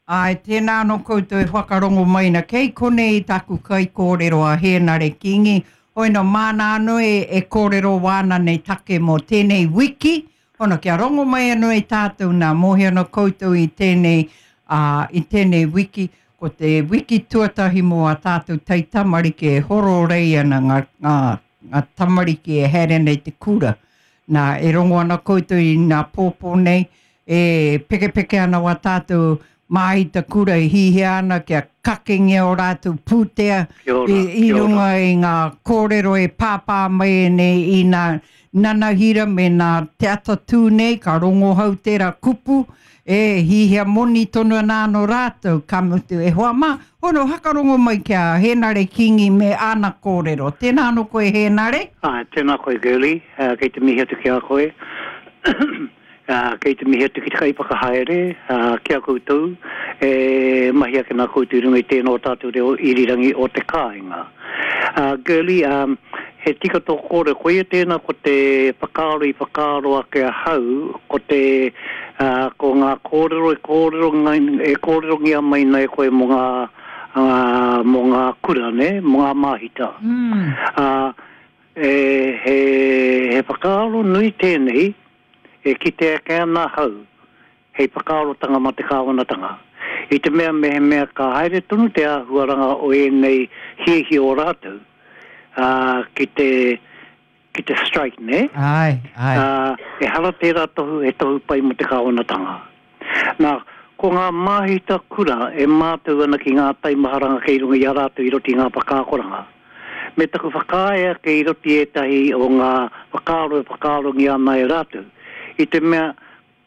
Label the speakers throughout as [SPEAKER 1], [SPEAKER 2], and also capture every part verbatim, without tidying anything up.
[SPEAKER 1] Āe, tēnā anō koutou e whakarongo mai na. Kei konei taku kaikōrero a Hēnare Kingi. Hoino māna anō e, e kōrero wāna nei take mō tēnei wiki. Hono kia rongo mai anō e tātou nā mōhio ana koutou i tēnei, uh, i tēnei wiki. Ko te wiki tuatahi mō a tātou taitamariki e hororei ana ngā, ngā, ngā tamariki e haere nei te kura. Nā, e rongo ana koutou i nā pōpō nei, e pekepeke ana wā tātou māhita kura e hihia ana kia kakengia o rātou pūtea
[SPEAKER 2] Kia ora,
[SPEAKER 1] i, i
[SPEAKER 2] kia ora.
[SPEAKER 1] runga i ngā kōrero e pāpā mai nei i nā nanahira me nā te atatū nei, ka rongohau tērā kupu, e hihia moni tonu ana anō rātou, ka mutu e hoa mā, hono hakarongo mai ki a Hēnare Kingi me āna kōrero. Tēnā anō koe Hēnare?
[SPEAKER 2] Āe, tēnā koe Girlie, uh, kei te mihi atu ki a koe. Uh, kei te mihi atu ki te kaiwhakahaere, uh, ki a koutou, e mahi ake nā koutou i runga i tēnā o tātou reo irirangi o te kāinga. Uh, Girlie, um, he tika tō kōrero, koia tēnā ko te whakaaro i whakaaro ake ahau, ko te, uh, ko ngā kōrero e kōrero, e kōrerongia mai nei koe mō ngā, uh, mō ngā kura, ne? Mō ngā māhita.
[SPEAKER 1] Mm.
[SPEAKER 2] Uh, e, he, he whakaaro nui tēnei, e kite ake ana ahau, hei whakaarotanga mā te kāwanatanga. I te mea mehemea ka haere tonu te āhuaranga o ēnei hiahia o rātou, uh, ki te, ki te strike, ne?
[SPEAKER 1] Ai, ai.
[SPEAKER 2] Uh, ehara tērā tohu, he tohu pai mō te kāwanatanga. Nā, ko ngā māhita kura e mātau ana ki ngā taimaharanga kei runga i a rātou i roto i ngā whakaakoranga. Me taku whakaae ake i roto i ētahi o ngā whakaaro e whakaarongia ana e rātou. I te mea,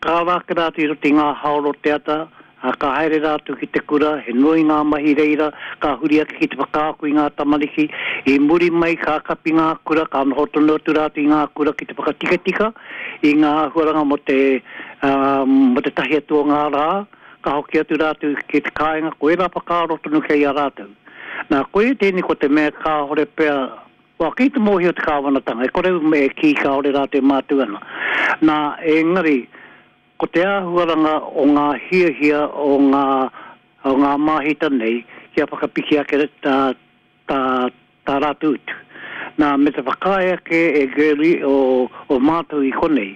[SPEAKER 2] ka ara ake rātou i roto i ngā haoro te ata, a, ka haere rātou ki te kura, he nui ngā mahi reira, ka huri ake ki te whakaako i ngā tamariki, i muri mai ka kapi ngā kura, ka noho tonu atu rātou i ngā kura ki te whakatikatika i ngā āhuaranga mō te, uh, mō te tahi atu o ngā rā, ka hoki atu rātou ki te kāinga, ko ērā whakaaro tonu kei a rātou. Nā, koia tēnei ko te mea kāhore pea, Wā, kei te mōhio te kāwanatanga, e kore e kī kāore rātou e mātau ana. Nā, engari, ko te āhuaranga o ngā hiahia o ngā, o ngā māhita nei, kia whakapiki ake tā, tā, tā rātou utu. Nā, me te whakaae ake e Girlie o, o mātou i konei,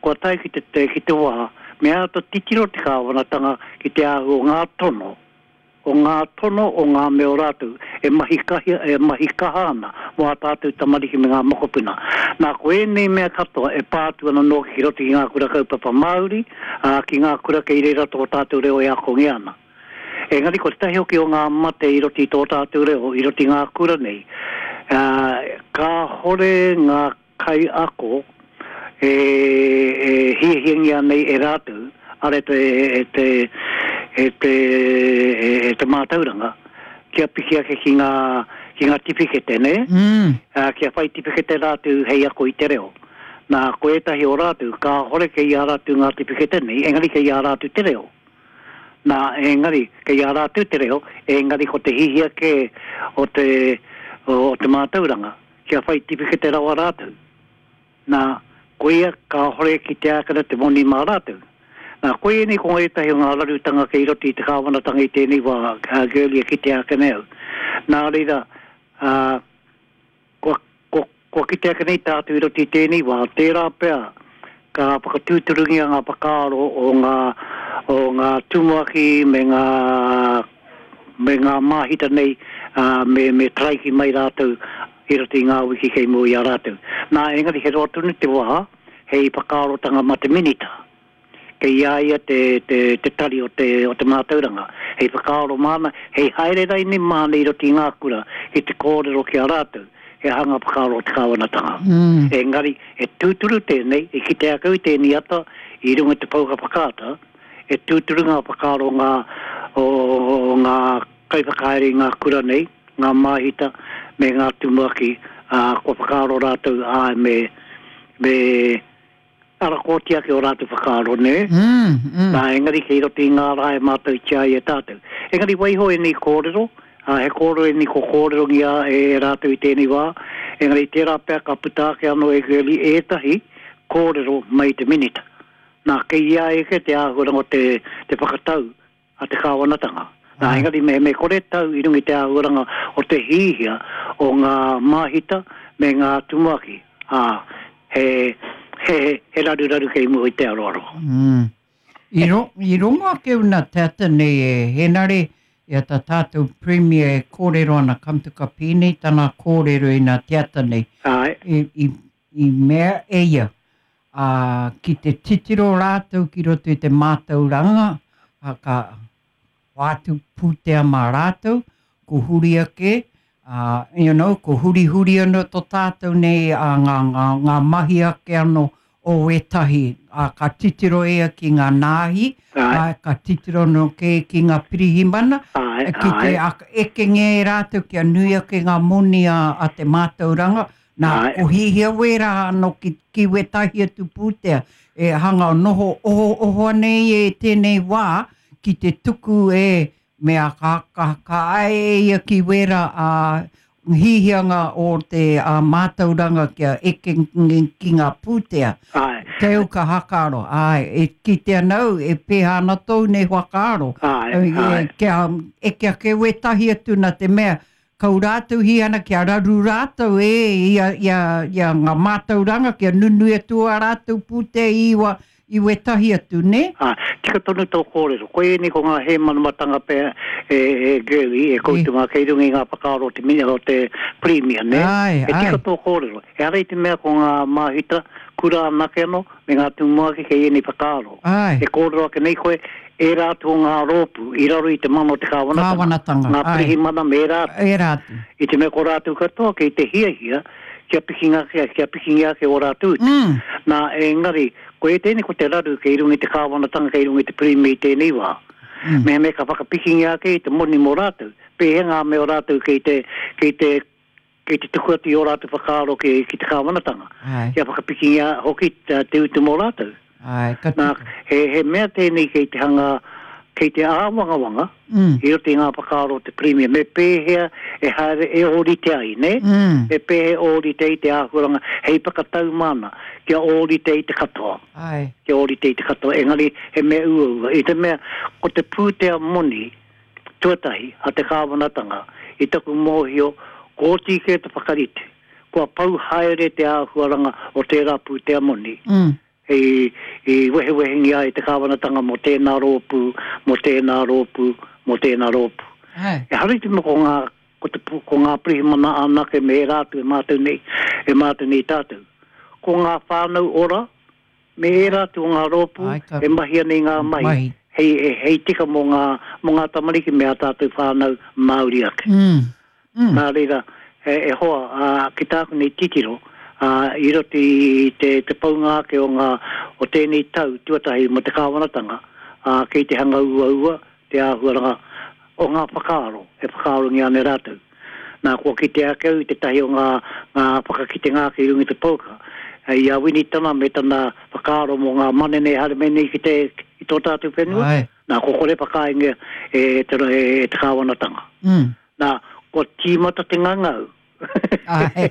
[SPEAKER 2] kua tae ki te, te, ki te wā, me āta titiro te kāwanatanga ki te āhua o ngā tono, o ngā tono o ngā mea o rātou e mahi kahi, e mahi kaha ana mō ā tātou tamariki me ngā mokopuna. Nā, ko ēnei mea katoa e pā atu ana nōki ki roto ki ngā kura kaupapa Māori, ā, ki ngā kura kei reira tō tātou reo e akongia ana. Engari ko tētahi hoki o ngā mate i roto i tō tātou reo, i roto i ngā kura nei, ā, kāhore ngā kaiako e, e hiahiangia nei e rātou, ara e te, e te, e te, e te mātauranga, kia piki ake ki ngā, ki ngā tiwhikete, ne?
[SPEAKER 1] Mm.
[SPEAKER 2] Uh, kia whai tiwhikete rātou hei ako i te reo. Nā, ko ētahi o rātou, kāhore kei a rātou ngā tiwhikete nei, engari kei a rātou te reo. Nā, engari, kei a rātou te reo, engari ko te hihia kē o te, o, o te mātauranga, kia whai tiwhikete rawa rātou. Nā, koia kāhore ki te ākena te moni mā rātou. Nā, koia nei ko ētahi o ngā rarutanga kei roto i te kāwanatanga i tēnei wā, uh, Girlie, ki te ākena au. Nā reira, uh, kua, kua, kua kite ake nei tātou i roto i tēnei wā, tērā pea ka whakatūturungia ngā whakaaro o ngā, o ngā tumuaki me ngā, me ngā māhita nei, uh, me, me taraiki mai rātou i roto i ngā wiki kei mua i a rātou. Nā, engari he roa tonu te wā, hei whakaarotanga mā te minita. Kei a ia te, te, te tari o te, o te mātauranga. Hei whakaaro māna, hei haere raini māna i roto i ngā kura, ki te kōrero ki a rātou, he aha ngā whakaaro o te kāwanatanga.
[SPEAKER 1] Mm.
[SPEAKER 2] Engari, e tūturu tēnei, i kite ake au i tēnei ata, i runga i te pouaka whakaata, e tūturu ngā whakaaro ngā, o, o ngā kaiwhakahaere i ngā kura nei, ngā māhita, me ngā tumuaki, ā, kua whakaaro rātou, āe, me, me arakōti ake o rātou whakaaro, ne?
[SPEAKER 1] Mm, mm.
[SPEAKER 2] Nā, engari kei roto i ngā rā e mātautia ai e tātou. Engari waiho ēnei kōrero, ā, he kōrero ēnei ko kōrerongia e rātou i tēnei wā, engari tērā pea ka puta ake anō e Girlie ētahi kōrero mai te minita. Nā, kei ia eke te āhuaranga o te, te whakatau, a te kāwanatanga. Nā, engari me, me kore tau i runga i te āhuaranga o te hihia o ngā māhita me ngā tumuaki. Ā, he, he, he raruraru kei mua i te aroaro.
[SPEAKER 1] Mm. I, ro, i rongo ake una teata nei e Henare, ia tā tātou Premier e kōrero ana kamtuka pīnei tana kōrero i nā teata nei.
[SPEAKER 2] Ai.
[SPEAKER 1] I, i, i mea e ia, ā, ki te titiro rātou ki roto i te mātauranga, a, ka wātu pūtea mā rātou, ko huri ake, uh, you know, ko huri huri anō tō tātou nei a ngā, ngā, ngā mahi ake anō o ētahi. A, ka titiro ea ki ngā nāhi, a, ka titiro no ke ki ngā pirihimana,
[SPEAKER 2] Ai,
[SPEAKER 1] ki te
[SPEAKER 2] ai.
[SPEAKER 1] ekenge e rātou kia nui ake ngā moni a, a te mātauranga, nā,
[SPEAKER 2] Ai.
[SPEAKER 1] ko hihia wērā anō ki, ki wētahi atu pūtea, e hanga noho oho oho nei e tēnei wā, ki te tuku e mea ka, ka, ka ai e ia ki wērā a hihianga o te a mātauranga kia eke ki ngā pūtea.
[SPEAKER 2] Ai.
[SPEAKER 1] Te au ka hakaro, ai, e ki te anau, e pēhā ana tōu nei whakaaro.
[SPEAKER 2] Ai,
[SPEAKER 1] E,
[SPEAKER 2] ai.
[SPEAKER 1] Kia eke ake wētahi atu nā te mea, kau rātou hi ana kia raru rātou e ia, ia, ia ngā mātauranga kia nunui atu a rātou pūtea iwa i wētahi atu, ne?
[SPEAKER 2] Ah, tika tonu tō kōrero. Ko ēnei ko ngā hēmanamatanga pea e, e Girlie, e koutou ngā kei runga i ngā whakaaro o te mina o te Premier, ne?
[SPEAKER 1] Ai,
[SPEAKER 2] E tika
[SPEAKER 1] ai.
[SPEAKER 2] tō kōrero. E ara i te mea ko ngā māhita, kura anake anō, me ngā tumuaki kei ēnei whakaaro.
[SPEAKER 1] Ai.
[SPEAKER 2] E kōrero ake nei koe, e rātou ngā rōpū, i raro i te mana o te kāwanatanga.
[SPEAKER 1] Kāwanatanga,
[SPEAKER 2] Ngā
[SPEAKER 1] ai.
[SPEAKER 2] pirihimana me rātou.
[SPEAKER 1] E rātou.
[SPEAKER 2] I te mea ko rātou katoa kei te hiahia, kia pikinga ake, kia pikinga ake o rātou.
[SPEAKER 1] Mm.
[SPEAKER 2] Nā, engari, ko e tēnei ko te raru kei runga i te kāwanatanga, kei runga i te Premier i tēnei wā.
[SPEAKER 1] Mm.
[SPEAKER 2] Me me ka whakapikinga ake i te moni mō rātou. Pēhea ngā mea o rātou kei te, kei te, kei te tuku atu i o rātou whakaaro ki, ki te kāwanatanga.
[SPEAKER 1] Ai.
[SPEAKER 2] Kia whakapikinga hoki te, te utu mō rātou.
[SPEAKER 1] Ai, ka
[SPEAKER 2] Nā,
[SPEAKER 1] tika.
[SPEAKER 2] he, he mea tēnei kei te hanga, kei te āwangawanga,
[SPEAKER 1] Mm.
[SPEAKER 2] i roto i ngā whakaaro o te Premier. Me pēhea e haere e ōrite ai, ne?
[SPEAKER 1] Mm.
[SPEAKER 2] Me pēhea ōrite i te āhuaranga, hei whakatau mana, kia ōrite i te katoa.
[SPEAKER 1] Ai.
[SPEAKER 2] Kia ōrite i te katoa, engari he mea uaua. I te mea, ko te pūtea moni, tuatahi, a te kāwanatanga, i taku mōhio, ko oti ke te whakarite. Kua pau haere te āhuaranga o tērā pūtea moni.
[SPEAKER 1] Mm.
[SPEAKER 2] I, i wehewehengi ai te kāwanatanga mō tēnā rōpū, mō tēnā rōpū, mō tēnā rōpū.
[SPEAKER 1] Ai.
[SPEAKER 2] E hara i te mea ko ngā, ko te, ko ngā pirihimana anake me e rātou e mātou nei, e mātou nei tātou. Ko ngā whānau ora, me e rātou o ngā rōpū,
[SPEAKER 1] Ai, ka-
[SPEAKER 2] e mahi ana i ngā mahi.
[SPEAKER 1] Mahi.
[SPEAKER 2] Hei, e, hei tika mō ngā, mō ngā tamariki me a tātou whānau Māori ake.
[SPEAKER 1] Mm. Mm.
[SPEAKER 2] Nā reira, e, e hoa, a, ki tāku nei titiro, a, i roto i te, te paunga ake o ngā, o tēnei tau tuatahi mō te kāwanatanga, a, kei te hanga uaua, te āhuaranga o ngā whakaaro, e whakaarongia ana rātou. Nā, kua kite ake au i te tahi o ngā, ngā whakakitenga ake i runga i te pouka. I a Winitana me tana whakaaro mō ngā manene haere mai nei ki te, ki tō tātou whenua.
[SPEAKER 1] Ai.
[SPEAKER 2] Nā, ko kore whakainga e, te, e, te kāwanatanga.
[SPEAKER 1] Mm.
[SPEAKER 2] Nā, ko tīmata te ngangau.
[SPEAKER 1] Ai.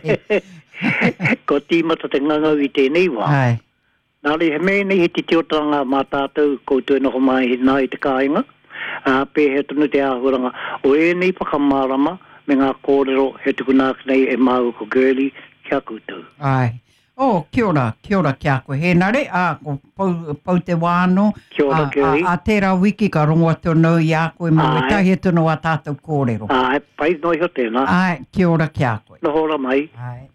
[SPEAKER 2] Ko tīmata te ngangau i tēnei wā.
[SPEAKER 1] Ai.
[SPEAKER 2] Nā re, he mea nei he titiotanga mā tātou koutou e noho mai nā i te kāinga. Ā, pēhea tonu te āhuaranga. O ēnei whakamārama me ngā kōrero he tukuna ake nei e māua ko Girlie ki a koutou.
[SPEAKER 1] Ai. Oh, kia ora, kia ora ki a koe. Hēnare, ā, ko pau, pau te wāno.
[SPEAKER 2] Kia ora,
[SPEAKER 1] A, a,
[SPEAKER 2] Girlie.
[SPEAKER 1] a tērā wiki ka rongo atu anō i a koe mō
[SPEAKER 2] Ai.
[SPEAKER 1] wētahi atu anō a tātou kōrero.
[SPEAKER 2] Ai, pai noa iho tēnā.
[SPEAKER 1] Ai, kia ora ki a koe.
[SPEAKER 2] Noho ora mai.
[SPEAKER 1] Ai.